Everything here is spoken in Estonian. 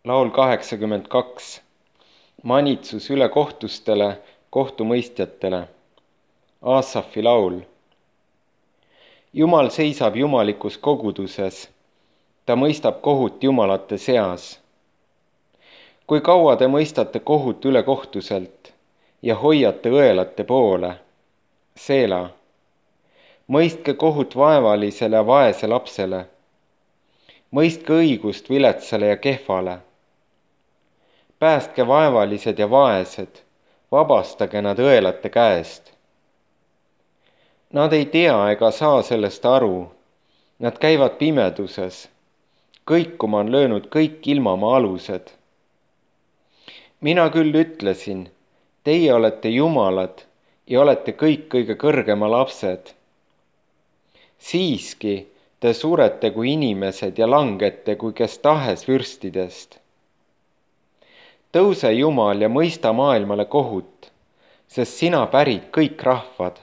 Laul 82. Manitsus ülekohtustele, kohtumõistjatele. Aasafi laul. Jumal seisab jumalikus koguduses. Ta mõistab kohut jumalate seas. Kui kaua te mõistate kohut ülekohtuselt ja hoiate õelate poole? Seela. Mõistke kohut vaevalisele ja vaese lapsele. Mõistke õigust viletsale ja kehvale. Päästke vaevalised ja vaesed, vabastage nad õelate käest. Nad ei tea ega saa sellest aru, nad käivad pimeduses, kõikuma on löönud kõik ilmamaa alused. Mina küll ütlesin, teie olete jumalad ja olete kõik kõige kõrgema lapsed. Siiski te surete kui inimesed ja langete kui kes tahes vürstidest. Tõuse Jumal ja mõista maailmale kohut, sest sina pärid kõik rahvad.